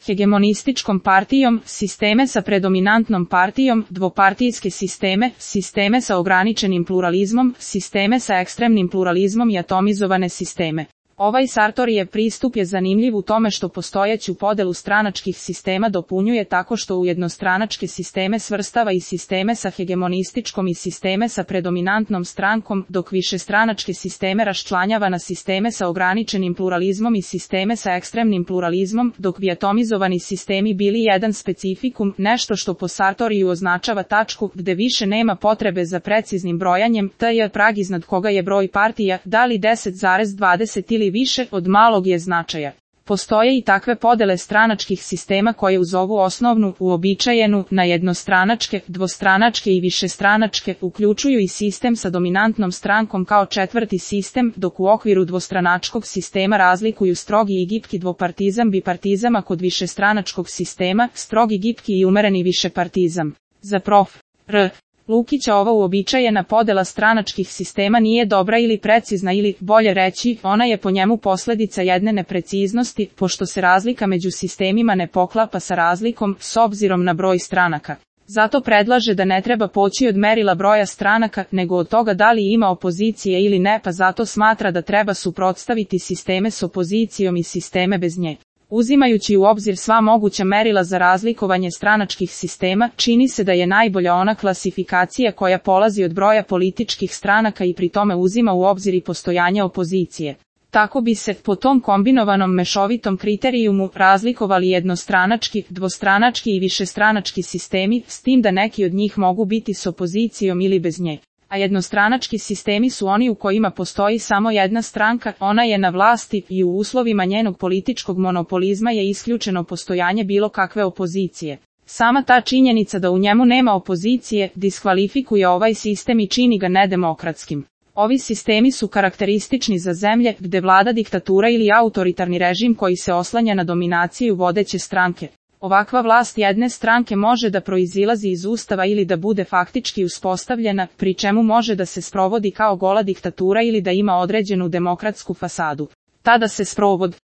hegemonističkom partijom, sisteme sa predominantnom partijom, dvopartijske sisteme, sisteme sa ograničenim pluralizmom, sisteme sa ekstremnim pluralizmom i atomizovane sisteme. Ovaj Sartorijev pristup je zanimljiv u tome što postojeću podelu stranačkih sistema dopunjuje tako što u jednostranačke sisteme svrstava i sisteme sa hegemonističkom i sisteme sa predominantnom strankom, dok višestranačke sisteme raščlanjava na sisteme sa ograničenim pluralizmom i sisteme sa ekstremnim pluralizmom, dok bi atomizovani sistemi bili jedan specifikum, nešto što po Sartoriju označava tačku gde više nema potrebe za preciznim brojanjem, t je prag iznad koga je broj partija, da li 10,20 ili više od malog je značaja. Postoje i takve podele stranačkih sistema koje uz ovu osnovnu, uobičajenu, na jednostranačke, dvostranačke i višestranačke, uključuju i sistem sa dominantnom strankom kao četvrti sistem, dok u okviru dvostranačkog sistema razlikuju strogi i gipki dvopartizam bipartizam, a kod višestranačkog sistema, strogi gipki i umereni višepartizam. Za prof. R. Lukića ova uobičajena podela stranačkih sistema nije dobra ili precizna ili, bolje reći, ona je po njemu posledica jedne nepreciznosti, pošto se razlika među sistemima ne poklapa sa razlikom, s obzirom na broj stranaka. Zato predlaže da ne treba poći od merila broja stranaka, nego od toga da li ima opozicije ili ne, pa zato smatra da treba suprotstaviti sisteme s opozicijom i sisteme bez nje. Uzimajući u obzir sva moguća merila za razlikovanje stranačkih sistema, čini se da je najbolja ona klasifikacija koja polazi od broja političkih stranaka i pri tome uzima u obzir i postojanje opozicije. Tako bi se, po tom kombinovanom mešovitom kriterijumu, razlikovali jednostranački, dvostranački i višestranački sistemi, s tim da neki od njih mogu biti s opozicijom ili bez nje. A jednostranački sistemi su oni u kojima postoji samo jedna stranka, ona je na vlasti i u uslovima njenog političkog monopolizma je isključeno postojanje bilo kakve opozicije. Sama ta činjenica da u njemu nema opozicije, diskvalifikuje ovaj sistem i čini ga nedemokratskim. Ovi sistemi su karakteristični za zemlje gde vlada diktatura ili autoritarni režim koji se oslanja na dominaciju vodeće stranke. Ovakva vlast jedne stranke može da proizilazi iz ustava ili da bude faktički uspostavljena, pri čemu može da se sprovodi kao gola diktatura ili da ima određenu demokratsku fasadu. Tada se sprovod